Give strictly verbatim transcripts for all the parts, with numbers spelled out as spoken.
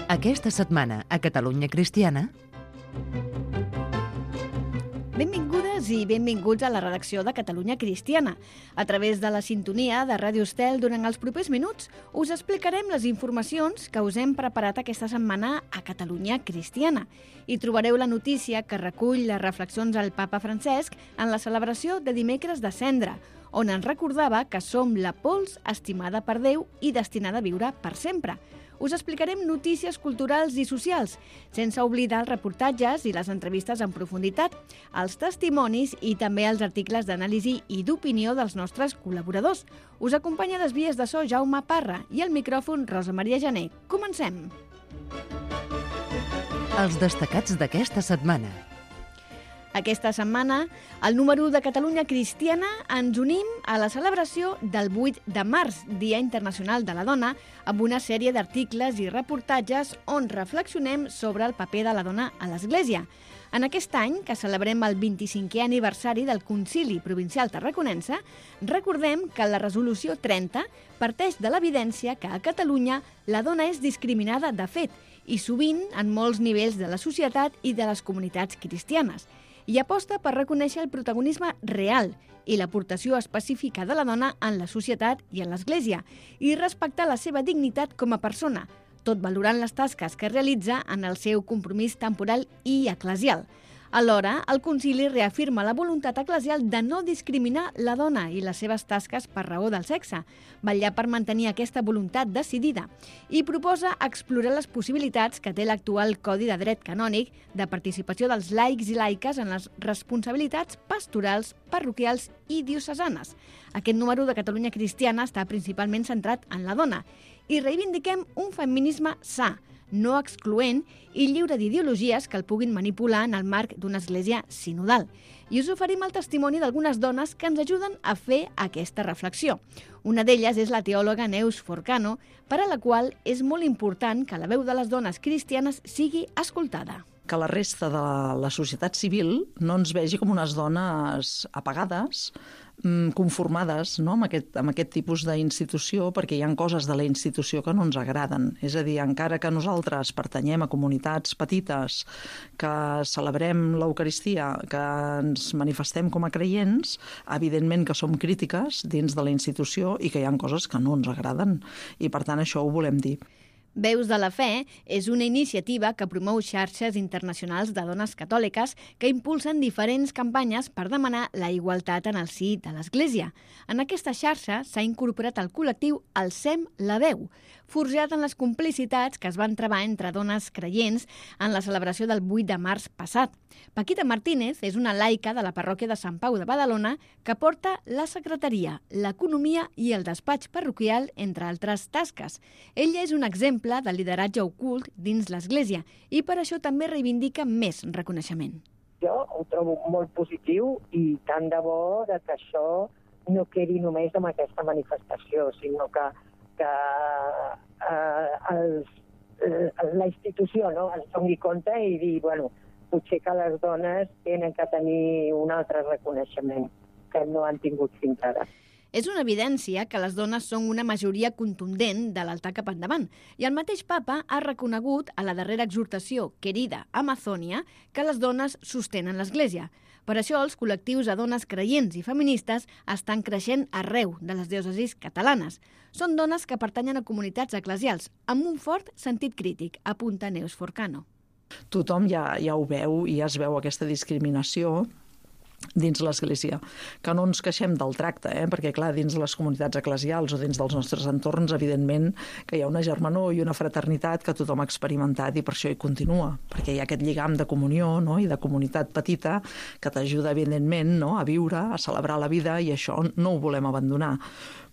Aquesta setmana a Catalunya Cristiana... Benvingudes i benvinguts a la redacció de Catalunya Cristiana. A través de la sintonia de Ràdio Estel, durant els propers minuts, us explicarem les informacions que us hem preparat aquesta setmana a Catalunya Cristiana. Hi trobareu la notícia que recull les reflexions al papa Francesc en la celebració de dimecres de Cendra, on ens recordava que som la pols estimada per Déu i destinada a viure per sempre. Us explicarem notícies culturals i socials, sense oblidar els reportatges i les entrevistes en profunditat, els testimonis i també els articles d'anàlisi i d'opinió dels nostres col·laboradors. Us acompanya a les vies de so Jaume Parra i al micròfon Rosa Maria Jané. Comencem! Els destacats d'aquesta setmana. Aquesta setmana, al número de Catalunya Cristiana, ens unim a la celebració del vuit de març, Dia Internacional de la Dona, amb una sèrie d'articles i reportatges on reflexionem sobre el paper de la dona a l'Església. En aquest any, que celebrem el vint-i-cinquè aniversari del Concili Provincial Tarraconense, recordem que la resolució trenta parteix de l'evidència que a Catalunya la dona és discriminada de fet i sovint en molts nivells de la societat i de les comunitats cristianes, i aposta per reconèixer el protagonisme real i l'aportació específica de la dona en la societat i en l'Església, i respectar la seva dignitat com a persona, tot valorant les tasques que realitza en el seu compromís temporal i eclesial. Alhora, el concili reafirma la voluntat eclesial de no discriminar la dona i les seves tasques per raó del sexe, vetllar per mantenir aquesta voluntat decidida, i proposa explorar les possibilitats que té l'actual Codi de Dret Canònic de participació dels laics i laiques en les responsabilitats pastorals, parroquials i diocesanes. Aquest número de Catalunya Cristiana està principalment centrat en la dona i reivindiquem un feminisme sa, no excloent i lliure d'ideologies que el puguin manipular en el marc d'una església sinodal. I us oferim el testimoni d'algunes dones que ens ajuden a fer aquesta reflexió. Una d'elles és la teòloga Neus Forcano, per a la qual és molt important que la veu de les dones cristianes sigui escoltada. Que la resta de la societat civil no ens vegi com unes dones apagades, conformades, no?, amb, aquest, amb aquest tipus d'institució, perquè hi ha coses de la institució que no ens agraden. És a dir, encara que nosaltres pertanyem a comunitats petites, que celebrem l'Eucaristia, que ens manifestem com a creients, evidentment que som crítiques dins de la institució i que hi ha coses que no ens agraden. I per tant això ho volem dir. Veus de la Fe és una iniciativa que promou xarxes internacionals de dones catòliques que impulsen diferents campanyes per demanar la igualtat en el si de l'Església. En aquesta xarxa s'ha incorporat el col·lectiu Alcem la Veu, forjat en les complicitats que es van travar entre dones creients en la celebració del vuit de març passat. Paquita Martínez és una laica de la parròquia de Sant Pau de Badalona que porta la secretaria, l'economia i el despatx parroquial, entre altres tasques. Ella és un exemple de lideratge ocult dins l'Església i per això també reivindica més reconeixement. Jo ho trobo molt positiu i tant de bo de que això no quedi només amb aquesta manifestació, sinó que, que eh, els, eh, la institució, no?, es doni compte i dir, bueno, potser que les dones tenen que tenir un altre reconeixement que no han tingut fins ara. És una evidència que les dones són una majoria contundent de l'altar cap endavant, i el mateix papa ha reconegut a la darrera exhortació, Querida Amazònia, que les dones sostenen l'Església. Per això els col·lectius de dones creients i feministes estan creixent arreu de les diòcesis catalanes. Són dones que pertanyen a comunitats eclesials, amb un fort sentit crític, apunta Neus Forcano. Tothom ja, ja ho veu i ja es veu aquesta discriminació dins l'Església, que no ens queixem del tracte, eh? Perquè clar, dins les comunitats eclesials o dins dels nostres entorns, evidentment que hi ha una germanor i una fraternitat que tothom ha experimentat i per això hi continua, perquè hi ha aquest lligam de comunió, no?, i de comunitat petita que t'ajuda evidentment, no?, a viure, a celebrar la vida, i això no ho volem abandonar.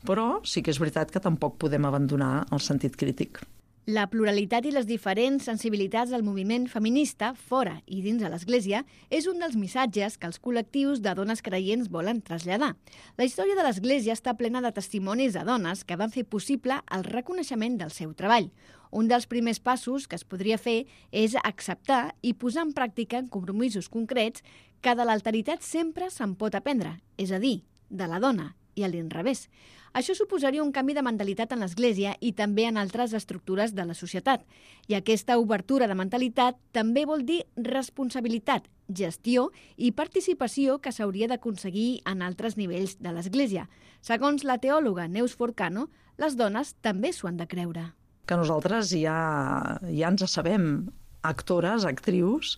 Però sí que és veritat que tampoc podem abandonar el sentit crític. La pluralitat i les diferents sensibilitats del moviment feminista, fora i dins de l'Església, és un dels missatges que els col·lectius de dones creients volen traslladar. La història de l'Església està plena de testimonis de dones que van fer possible el reconeixement del seu treball. Un dels primers passos que es podria fer és acceptar i posar en pràctica en compromisos concrets que de l'alteritat sempre se'n pot aprendre, és a dir, de la dona i a l'inrevés. Això suposaria un canvi de mentalitat en l'Església i també en altres estructures de la societat. I aquesta obertura de mentalitat també vol dir responsabilitat, gestió i participació que s'hauria d'aconseguir en altres nivells de l'Església. Segons la teòloga Neus Forcano, les dones també s'ho han de creure. Que nosaltres ja, ja ens sabem actores, actrius,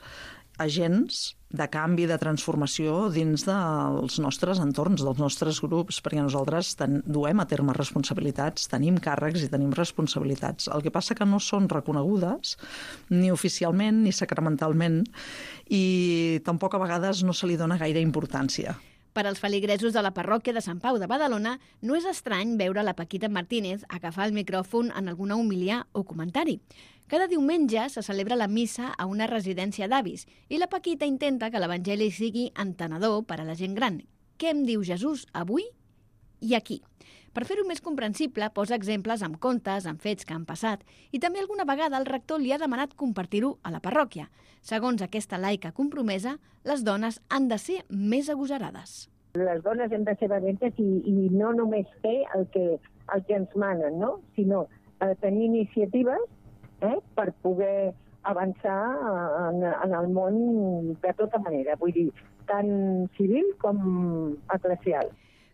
agents de canvi, de transformació dins dels nostres entorns, dels nostres grups, perquè nosaltres ten, duem a terme responsabilitats, tenim càrrecs i tenim responsabilitats. El que passa que no són reconegudes ni oficialment ni sacramentalment i tampoc a vegades no se li dona gaire importància. Per als feligresos de la parròquia de Sant Pau de Badalona, no és estrany veure la Paquita Martínez agafar el micròfon en alguna homilia o comentari. Cada diumenge se celebra la missa a una residència d'avis i la Paquita intenta que l'Evangeli sigui entenedor per a la gent gran. Què em diu Jesús avui i aquí? Per fer-ho més comprensible, posa exemples amb contes, amb fets que han passat, i també alguna vegada el rector li ha demanat compartir-ho a la parròquia. Segons aquesta laica compromesa, les dones han de ser més agosarades. Les dones hem de ser valentes i, i no només fer el que, el que ens manen, no? Sinó eh, tenir iniciatives eh, per poder avançar en, en el món de tota manera, vull dir, tant civil com eclesial.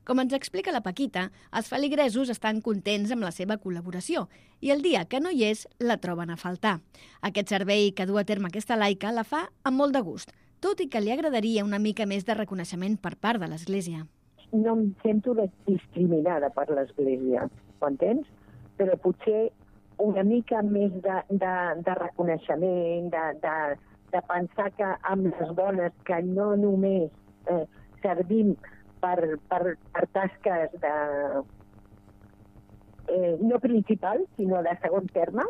Com ens explica la Paquita, els feligresos estan contents amb la seva col·laboració i el dia que no hi és la troben a faltar. Aquest servei que du a terme aquesta laica la fa amb molt de gust, tot i que li agradaria una mica més de reconeixement per part de l'Església. No em sento discriminada per l'Església, ho entens? Però potser una mica més de, de, de reconeixement, de, de, de pensar que amb les dones que no només eh, servim Per, per, per tasques de, eh, no principals, sinó de segon terme.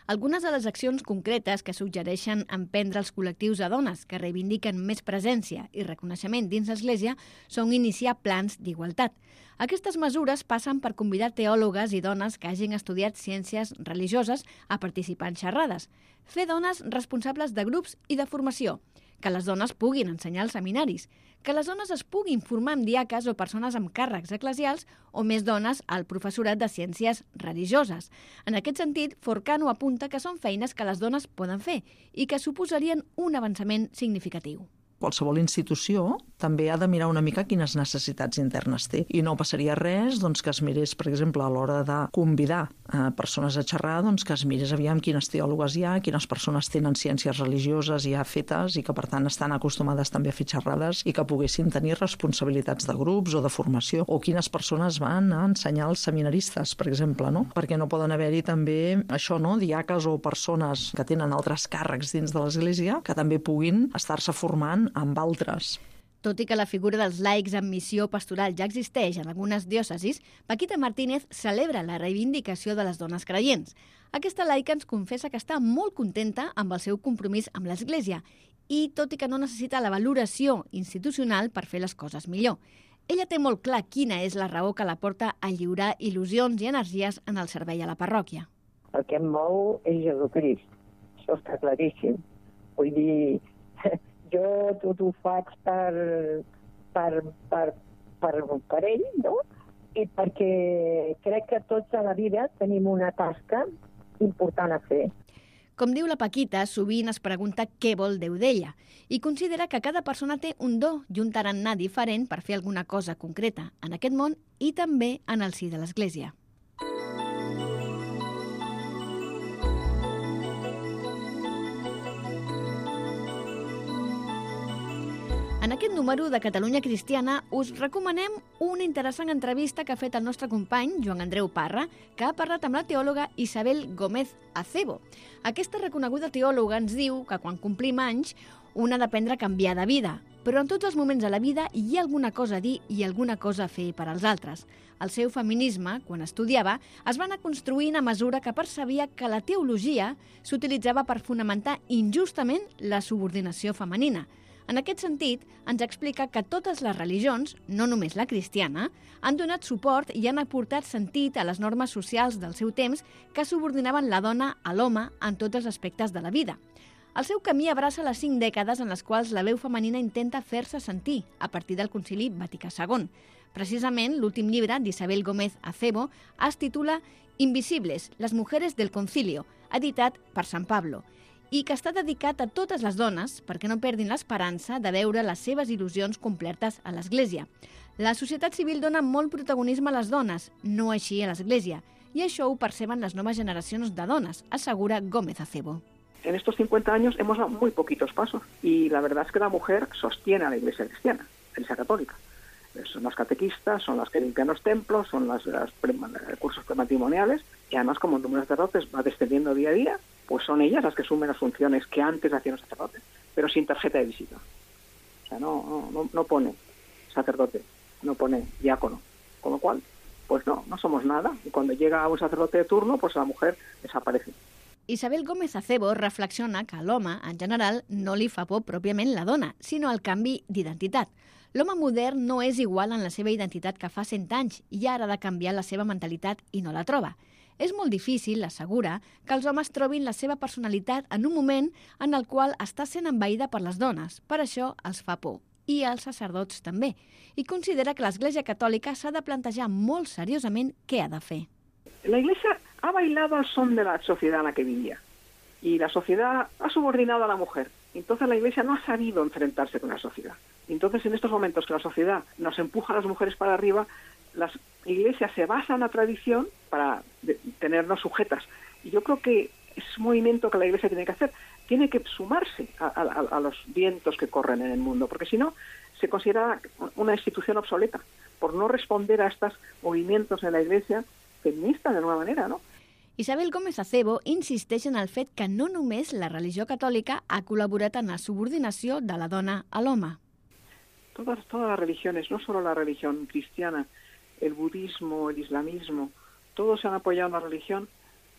Algunes de les accions concretes que suggereixen emprendre els col·lectius de dones que reivindiquen més presència i reconeixement dins l'Església són iniciar plans d'igualtat. Aquestes mesures passen per convidar teòlogues i dones que hagin estudiat ciències religioses a participar en xerrades, fer dones responsables de grups i de formació, que les dones puguin ensenyar als seminaris, que les dones es puguin formar amb diaques o persones amb càrrecs eclesials o més dones al professorat de ciències religioses. En aquest sentit, Forcano apunta que són feines que les dones poden fer i que suposarien un avançament significatiu. Qualsevol institució també ha de mirar una mica quines necessitats internes té. I no passaria res doncs, que es mirés, per exemple, a l'hora de convidar eh, persones a xerrar, doncs, que es mirés aviam quines teòlogues hi ha, quines persones tenen ciències religioses ja fetes i que, per tant, estan acostumades també a fer xerrades i que poguessin tenir responsabilitats de grups o de formació, o quines persones van a ensenyar als seminaristes, per exemple, no? Perquè no poden haver-hi també això, no? Diaques o persones que tenen altres càrrecs dins de l'Església que també puguin estar-se formant amb altres. Tot i que la figura dels laics amb missió pastoral ja existeix en algunes diòcesis, Paquita Martínez celebra la reivindicació de les dones creients. Aquesta laica ens confessa que està molt contenta amb el seu compromís amb l'Església i, tot i que no necessita la valoració institucional per fer les coses millor. Ella té molt clar quina és la raó que la porta a lliurar il·lusions i energies en el servei a la parròquia. El que em mou és Jesucrist, això està claríssim. Vull dir, jo tot ho faig per, per, per, per, per ell, no? I perquè crec que tots a la vida tenim una tasca important a fer. Com diu la Paquita, sovint es pregunta què vol Déu d'ella i considera que cada persona té un do i un tarannà diferent per fer alguna cosa concreta en aquest món i també en el si de l'Església. En aquest número de Catalunya Cristiana us recomanem una interessant entrevista que ha fet el nostre company, Joan Andreu Parra, que ha parlat amb la teòloga Isabel Gómez Acebo. Aquesta reconeguda teòloga ens diu que quan complim anys un ha d'aprendre a canviar de vida, però en tots els moments de la vida hi ha alguna cosa a dir i alguna cosa a fer per als altres. El seu feminisme, quan estudiava, es va anar construint a mesura que percebia que la teologia s'utilitzava per fonamentar injustament la subordinació femenina. En aquest sentit, ens explica que totes les religions, no només la cristiana, han donat suport i han aportat sentit a les normes socials del seu temps que subordinaven la dona a l'home en tots els aspectes de la vida. El seu camí abraça les cinc dècades en les quals la veu femenina intenta fer-se sentir a partir del Concili Vaticà segon. Precisament, l'últim llibre d'Isabel Gómez Acebo es titula Invisibles, les mujeres del concilio, editat per Sant Pablo, i que està dedicat a totes les dones perquè no perdin l'esperança de veure les seves il·lusions complertes a l'Església. La societat civil dona molt protagonisme a les dones, no així a l'Església, i això ho perceben les noves generacions de dones, assegura Gómez Acebo. En estos cincuenta años hemos dado muy poquitos pasos y la verdad es que la mujer sostiene a la Iglesia cristiana, la Iglesia católica. Son las catequistas, son las que limpian los templos, son las, las pre, cursos prematrimoniales y además como el número de sacerdotes va descendiendo día a día, pues son ellas las que asumen las funciones que antes hacían los sacerdotes, pero sin tarjeta de visita. O sea, no, no, no pone sacerdote, no pone diácono, con lo cual, pues no, no somos nada. Y cuando llega un sacerdote de turno, pues la mujer desaparece. Isabel Gómez Acebo reflexiona que a l'home, en general, no li fa por pròpiament la dona, sinó el canvi d'identitat. L'home modern no és igual en la seva identitat que fa cent anys i ara ha de canviar la seva mentalitat i no la troba. És molt difícil, assegura, que els homes trobin la seva personalitat en un moment en el qual està sent envaïda per les dones. Per això els fa por. I als sacerdots també. I considera que l'Església Catòlica s'ha de plantejar molt seriosament què ha de fer. La Iglesia ha bailado al son de la sociedad en la que vivía y la sociedad ha subordinado a la mujer. Entonces la Iglesia no ha sabido enfrentarse con la sociedad. Entonces en estos momentos que la sociedad nos empuja a las mujeres para arriba, las iglesias se basan en la tradición para de, tenernos sujetas. Y yo creo que es un movimiento que la Iglesia tiene que hacer. Tiene que sumarse a, a, a los vientos que corren en el mundo, porque si no se considera una institución obsoleta por no responder a estos movimientos en la Iglesia feminista de alguna manera, ¿no? Isabel Gómez Acebo insisteix en el fet que no només la religió catòlica ha col·laborat en la subordinació de la dona a l'home. Todas, todas las religiones, no solo la religión cristiana, el budismo, el islamismo, todos se han apoyado en la religión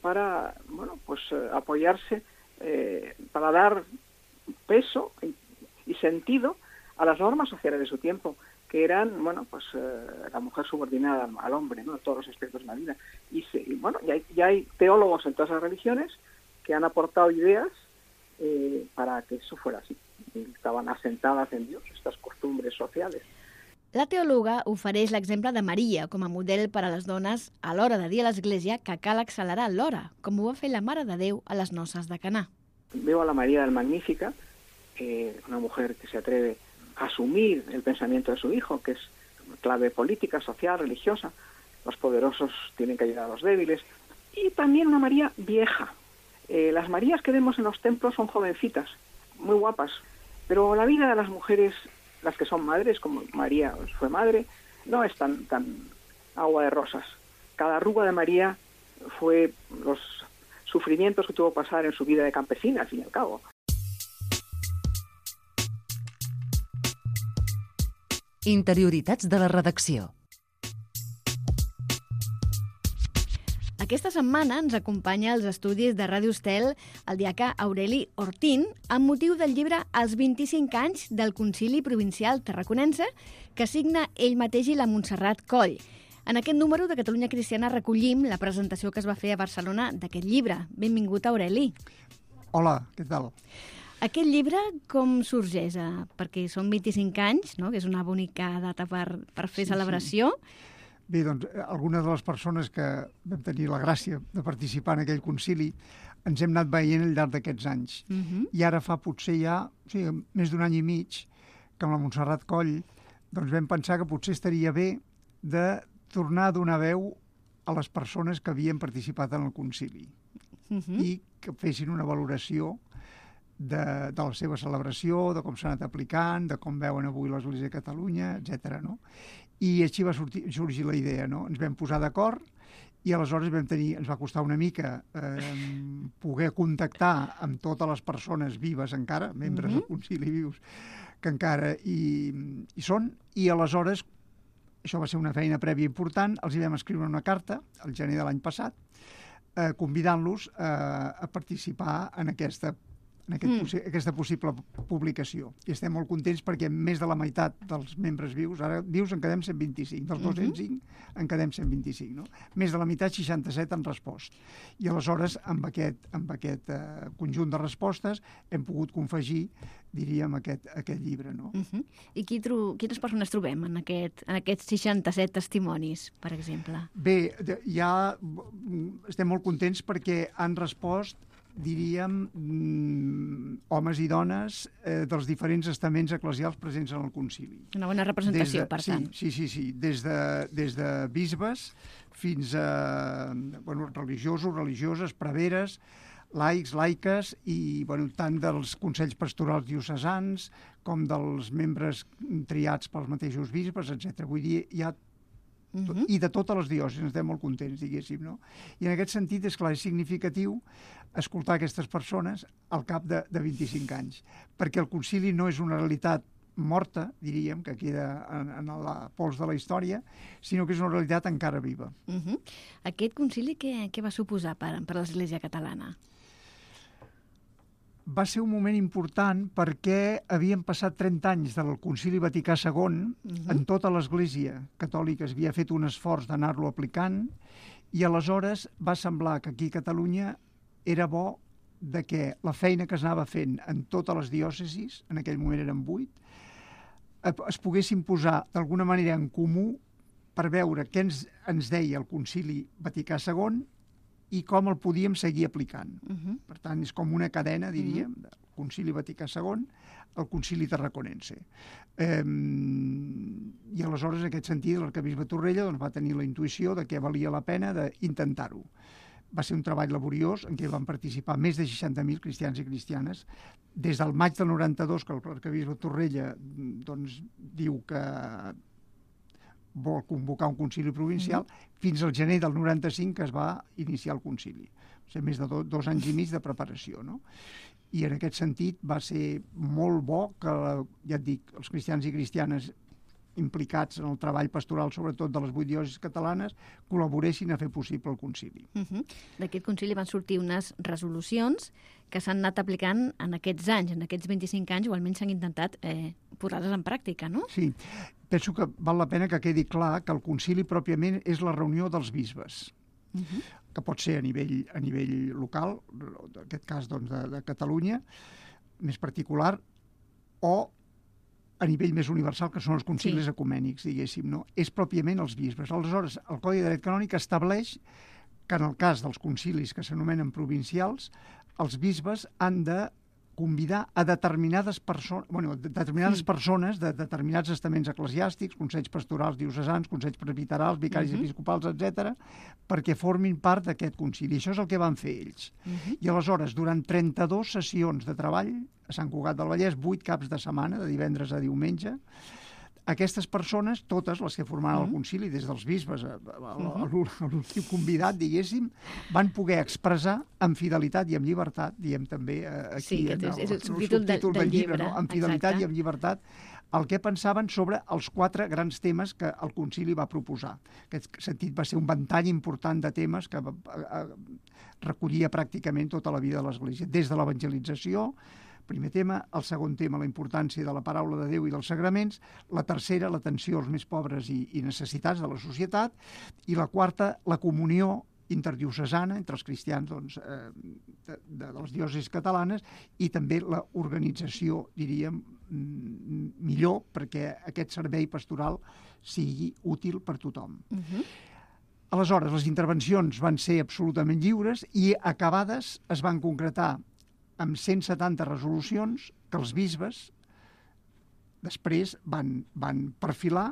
para, bueno, pues eh, apoyarse, eh, para dar peso y, y sentido a las normas sociales de su tiempo, que eran, bueno, pues eh, la mujer subordinada al, al hombre, ¿no? En todos los aspectos de la vida. Y, se, y bueno, ya hay, ya hay teólogos en todas las religiones que han aportado ideas eh, para que eso fuera así. Y estaban asentadas en Dios estas costumbres sociales. La teòloga ofereix l'exemple de Maria com a model per a les dones a l'hora de dir a l'Església que cal accelerar l'hora, com ho va fer la Mare de Déu a les noces de Caná. Veo a la María del Magnífica, eh, una mujer que se atreve a asumir el pensamiento de su hijo, que es clave política, social, religiosa. Los poderosos tienen que ayudar a los débiles. Y también una María vieja. Eh, las Marías que vemos en los templos son jovencitas, muy guapas. Pero la vida de las mujeres, las que son madres, como María fue madre, no es tan, tan agua de rosas. Cada arruga de María fue los sufrimientos que tuvo que pasar en su vida de campesina, al fin y al cabo. Interioritats de la redacció. Aquesta setmana ens acompanya als estudis de Ràdio Estel el diaca Aureli Ortín amb motiu del llibre Els vint-i-cinc anys del Concili Provincial Tarraconense que signa ell mateix i la Montserrat Coll. En aquest número de Catalunya Cristiana recollim la presentació que es va fer a Barcelona d'aquest llibre. Benvingut, Aureli. Hola, què tal? Aquest llibre com sorgeix? Perquè són vint-i-cinc anys, no? Que és una bonica data per, per fer Sí, celebració. sí. Bé, doncs, algunes de les persones que vam tenir la gràcia de participar en aquell concili ens hem anat veient al llarg d'aquests anys. Uh -huh. I ara fa potser ja, o sigui, més d'un any i mig, que amb la Montserrat Coll doncs vam pensar que potser estaria bé de tornar a donar veu a les persones que havien participat en el concili Uh -huh. i que fessin una valoració de, de la seva celebració, de com s'ha anat aplicant, de com veuen avui l'Església de Catalunya, etcètera, no? I així va sortir, sorgir la idea, no? Ens vam posar d'acord i aleshores vam tenir, ens va costar una mica eh, poder contactar amb totes les persones vives encara, membres Mhm. del concili vius, que encara hi, hi són, i aleshores, això va ser una feina prèvia important, els hi vam escriure una carta, al gener de l'any passat, eh, convidant-los eh, a participar en aquesta, en en aquest possi aquesta possible publicació. I estem molt contents perquè més de la meitat dels membres vius, ara vius en quedem cent vint-i-cinc, dels dos-cents cinc en quedem cent vint-i-cinc, no? Més de la meitat, seixanta-set, han respost. I aleshores, amb aquest, amb aquest uh, conjunt de respostes, hem pogut confegir, diríem, aquest, aquest llibre, no? Uh -huh. I qui tro quines persones trobem en, aquest, en aquests seixanta-set testimonis, per exemple? Bé, ja estem molt contents perquè han respost, diríem, homes i dones eh, dels diferents estaments eclesials presents en el concili. Una bona representació, de, per sí, tant. Sí, sí, sí. Des de, des de bisbes fins a bueno, religiosos, religioses, preveres, laics, laiques i bueno, tant dels consells pastorals diocesans com dels membres triats pels mateixos bisbes, etcètera. Vull dir, hi ha Uh -huh. i de totes les diòcesis, estem molt contents, diguéssim, no? I en aquest sentit, és clar, és significatiu escoltar aquestes persones al cap de, de vint-i-cinc anys, perquè el concili no és una realitat morta, diríem, que queda en, en la pols de la història, sinó que és una realitat encara viva. Uh -huh. Aquest concili què, què va suposar per, per l'Església catalana? Va ser un moment important perquè havien passat trenta anys del Concili Vaticà segon, uh-huh. en tota l'Església catòlica havia fet un esforç d'anar-lo aplicant, i aleshores va semblar que aquí a Catalunya era bo de que la feina que s'anava fent en totes les diòcesis, en aquell moment eren vuit, es poguessin posar d'alguna manera en comú per veure què ens, ens deia el Concili Vaticà segon i com el podíem seguir aplicant. Uh-huh. Per tant, és com una cadena, diríem, uh-huh. del Concili Vaticà segon al Concili Tarraconense. Eh, I aleshores, en aquest sentit, l'arquebisbe Torrella doncs, va tenir la intuïció de que valia la pena d'intentar-ho. Va ser un treball laboriós en què van participar més de seixanta mil cristians i cristianes. Des del maig del noranta-dos, que l'arquebisbe Torrella doncs, diu que vol convocar un concili provincial, mm-hmm. fins al gener del noranta-cinc que es va iniciar el concili. O sigui, més de do, dos anys i mig de preparació, no? I en aquest sentit va ser molt bo que, ja et dic, els cristians i cristianes implicats en el treball pastoral, sobretot de les vuit diòcesis catalanes, col·laboressin a fer possible el concili. Uh-huh. D'aquest concili van sortir unes resolucions que s'han anat aplicant en aquests anys, en aquests vint-i-cinc anys, o almenys s'han intentat eh, posar-les en pràctica, no? Sí, penso que val la pena que quedi clar que el concili pròpiament és la reunió dels bisbes, uh-huh. que pot ser a nivell, a nivell local, en aquest cas doncs, de, de Catalunya, més particular, o a nivell més universal, que són els concilis sí. ecumènics, diguéssim, no? És pròpiament els bisbes. Aleshores, el Codi de Dret Canònic estableix que en el cas dels concilis que s'anomenen provincials, els bisbes han de convidar a determinades, perso bueno, determinades sí. persones de determinats estaments eclesiàstics, consells pastorals diocesans, consells presbiterals, vicaris uh-huh. episcopals, etcètera, perquè formin part d'aquest concili. Això és el que van fer ells. Uh-huh. I aleshores, durant trenta-dues sessions de treball, a Sant Cugat del Vallès, vuit caps de setmana, de divendres a diumenge, aquestes persones, totes les que formaven uh-huh. el concili, des dels bisbes a, a, a l'últim convidat, diguéssim, van poder expressar amb fidelitat i amb llibertat, diem també aquí, sí, que en el, és el subtítol del, del, del llibre, no? Amb fidelitat exacte. I amb llibertat, el que pensaven sobre els quatre grans temes que el concili va proposar. En aquest sentit va ser un ventall important de temes que recollia pràcticament tota la vida de l'Església, des de l'evangelització, primer tema, el segon tema, la importància de la paraula de Déu i dels sagraments, la tercera, l'atenció als més pobres i, i necessitats de la societat, i la quarta, la comunió interdiocesana entre els cristians doncs, eh, de, de les diòcesis catalanes, i també l'organització, diríem, millor perquè aquest servei pastoral sigui útil per tothom. Uh-huh. Aleshores, les intervencions van ser absolutament lliures i acabades es van concretar amb cent setanta resolucions que els bisbes després van, van perfilar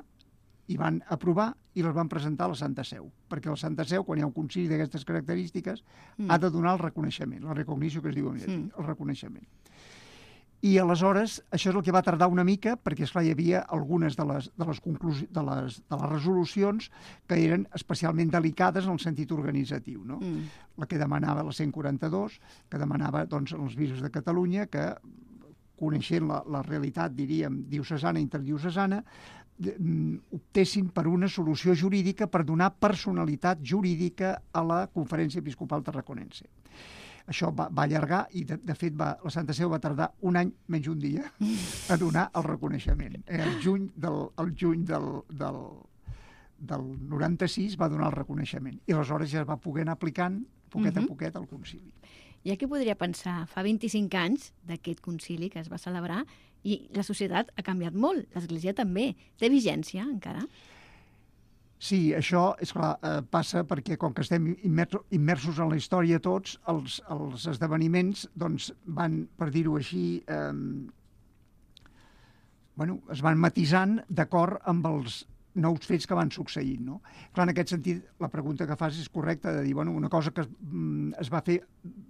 i van aprovar i les van presentar a la Santa Seu. Perquè la Santa Seu, quan hi ha un concili d'aquestes característiques, mm. ha de donar el reconeixement, la recognició que es diu, mm. el reconeixement. I aleshores, això és el que va tardar una mica, perquè esclar, hi havia algunes de les, de les, de les, de les resolucions que eren especialment delicades en el sentit organitzatiu, no? Mm. La que demanava la cent quaranta-dos, que demanava doncs, als bisbes de Catalunya que, coneixent la, la realitat, diríem, diocesana i interdiocesana, optessin per una solució jurídica per donar personalitat jurídica a la Conferència Episcopal Tarraconense. això va, va allargar i, de, de fet, va, la Santa Seu va tardar un any menys un dia a donar el reconeixement. Eh, el juny del, el juny del, del, del noranta-sis va donar el reconeixement i aleshores ja es va poder anar aplicant poquet uh-huh. a poquet al concili. Ja que podria pensar, fa vint-i-cinc anys d'aquest concili que es va celebrar i la societat ha canviat molt, l'Església també. Té vigència encara? Sí, això és clar, eh, passa perquè com que estem immersos en la història tots, els, els esdeveniments doncs, van, per dir-ho així, eh, bueno, es van matisant d'acord amb els nous fets que van succeint, no? Clar, en aquest sentit, la pregunta que fas és correcta, de dir, bueno, una cosa que es, es va fer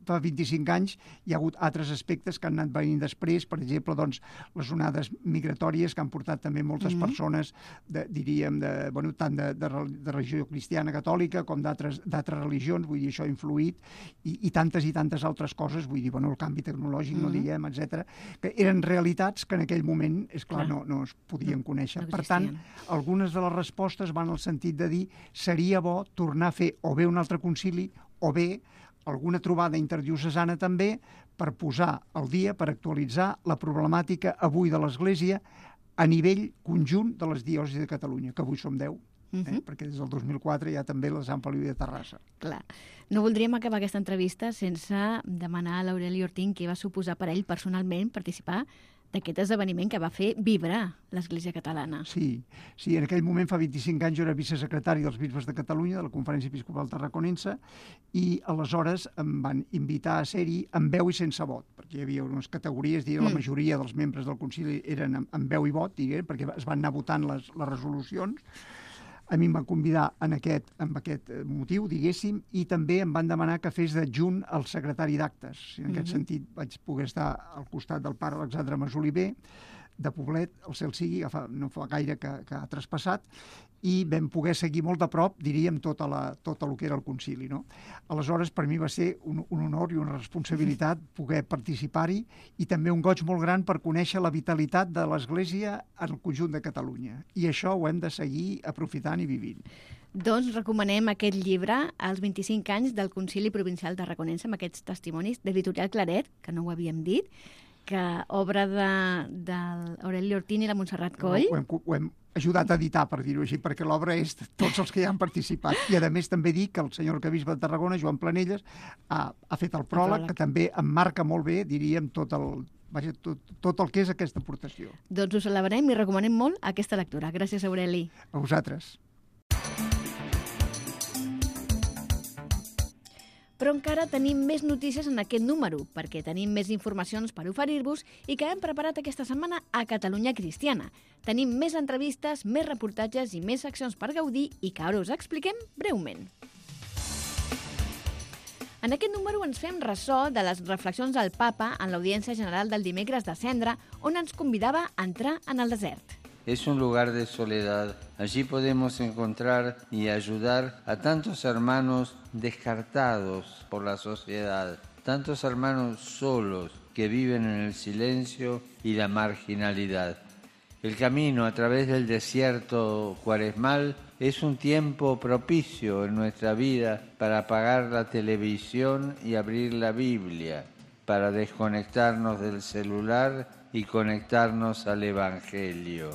fa vint-i-cinc anys, hi ha hagut altres aspectes que han anat venint després, per exemple, doncs, les onades migratòries que han portat també moltes mm-hmm. persones, de, diríem, de, bueno, tant de, de, de religió cristiana catòlica com d'altres religions, vull dir, això ha influït, i, i tantes i tantes altres coses, vull dir, bueno, el canvi tecnològic, mm-hmm. no diguem, etcètera, que eren realitats que en aquell moment, és clar, clar. No, no es podien conèixer. No per tant, algunes de les respostes van al sentit de dir seria bo tornar a fer o bé un altre concili o bé alguna trobada interdiocesana també per posar al dia, per actualitzar la problemàtica avui de l'Església a nivell conjunt de les diòcesis de Catalunya, que avui som deu, eh? uh-huh. perquè des del dos mil quatre hi ha també la Sant Feliu de Terrassa. Clar. No voldríem acabar aquesta entrevista sense demanar a l'Aureli Ortín què va suposar per ell personalment participar d'aquest esdeveniment que va fer vibrar l'Església catalana. Sí, sí, en aquell moment, fa vint-i-cinc anys, jo era vicesecretari dels Bisbes de Catalunya, de la Conferència Episcopal Tarraconense, i aleshores em van invitar a ser-hi amb veu i sense vot, perquè hi havia unes categories, diguem, mm. la majoria dels membres del concili eren amb, amb veu i vot, diguem, perquè es van anar votant les, les resolucions. A mi em van convidar en aquest, en aquest motiu, diguéssim, i també em van demanar que fes d'adjunt el secretari d'actes. En mm-hmm. aquest sentit vaig poder estar al costat del pare Alexandre Masoliver, de Poblet, el cel sigui, fa, no fa gaire que, que ha traspassat, i vam poder seguir molt de prop, diríem, tota la, tot el que era el concili. No? Aleshores, per mi va ser un, un honor i una responsabilitat poder participar-hi i també un goig molt gran per conèixer la vitalitat de l'Església en el conjunt de Catalunya. I això ho hem de seguir aprofitant i vivint. Doncs recomanem aquest llibre, als vint-i-cinc anys del Concili Provincial Tarraconense, amb aquests testimonis de l'editorial Claret, que no ho havíem dit, que obra de, de l'Aureli Ortín i la Montserrat Coll. Ho hem, ho hem ajudat a editar, per dir-ho així, perquè l'obra és de tots els que hi han participat. I, a més, també dic que el senyor arquebisbe de Tarragona, Joan Planelles, ha, ha fet el pròleg, que també emmarca molt bé, diríem, tot el, vaja, tot, tot el que és aquesta aportació. Doncs ho celebrem i recomanem molt aquesta lectura. Gràcies, Aureli. A vosaltres. Però encara tenim més notícies en aquest número, perquè tenim més informacions per oferir-vos i que hem preparat aquesta setmana a Catalunya Cristiana. Tenim més entrevistes, més reportatges i més seccions per gaudir i que ara us expliquem breument. En aquest número ens fem ressò de les reflexions del Papa en l'Audiència General del dimecres de Cendra, on ens convidava a entrar en el desert. Es un lugar de soledad. Allí podemos encontrar y ayudar a tantos hermanos descartados por la sociedad, tantos hermanos solos que viven en el silencio y la marginalidad. El camino a través del desierto cuaresmal es un tiempo propicio en nuestra vida para apagar la televisión y abrir la Biblia, para desconectarnos del celular y conectarnos al Evangelio.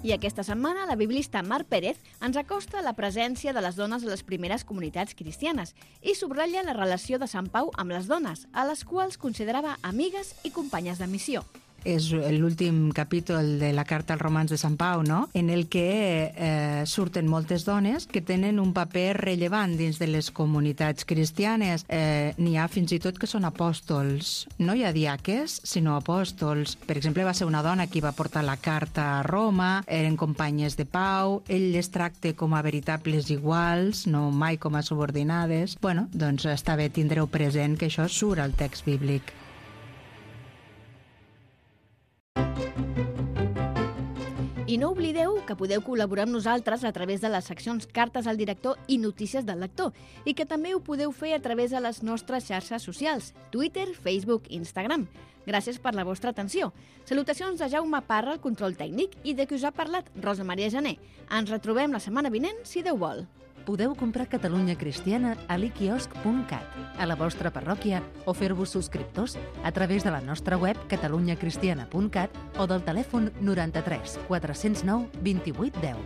I aquesta setmana la biblista Mar Pérez ens acosta a la presència de les dones a les primeres comunitats cristianes i subratlla la relació de Sant Pau amb les dones, a les quals considerava amigues i companyes de missió. És l'últim capítol de la carta als romans de Sant Pau, no? En el que eh, surten moltes dones que tenen un paper rellevant dins de les comunitats cristianes. Eh, N'hi ha fins i tot que són apòstols. No hi ha diaques, sinó apòstols. Per exemple, va ser una dona qui va portar la carta a Roma, eren companyes de Pau, ell les tracta com a veritables iguals, no mai com a subordinades. Bueno, doncs està bé tindreu present que això surt al text bíblic. I no oblideu que podeu col·laborar amb nosaltres a través de les seccions Cartes al director i Notícies del lector i que també ho podeu fer a través de les nostres xarxes socials, Twitter, Facebook i Instagram. Gràcies per la vostra atenció. Salutacions de Jaume Parra, el control tècnic, i de qui us ha parlat Rosa Maria Jané. Ens retrobem la setmana vinent, si Déu vol. Podeu comprar Catalunya Cristiana a l'iquiosc punt cat, a la vostra parròquia, o fer-vos subscriptors a través de la nostra web catalunya cristiana punt cat o del telèfon noranta-tres quatre cents nou vint-i-vuit deu.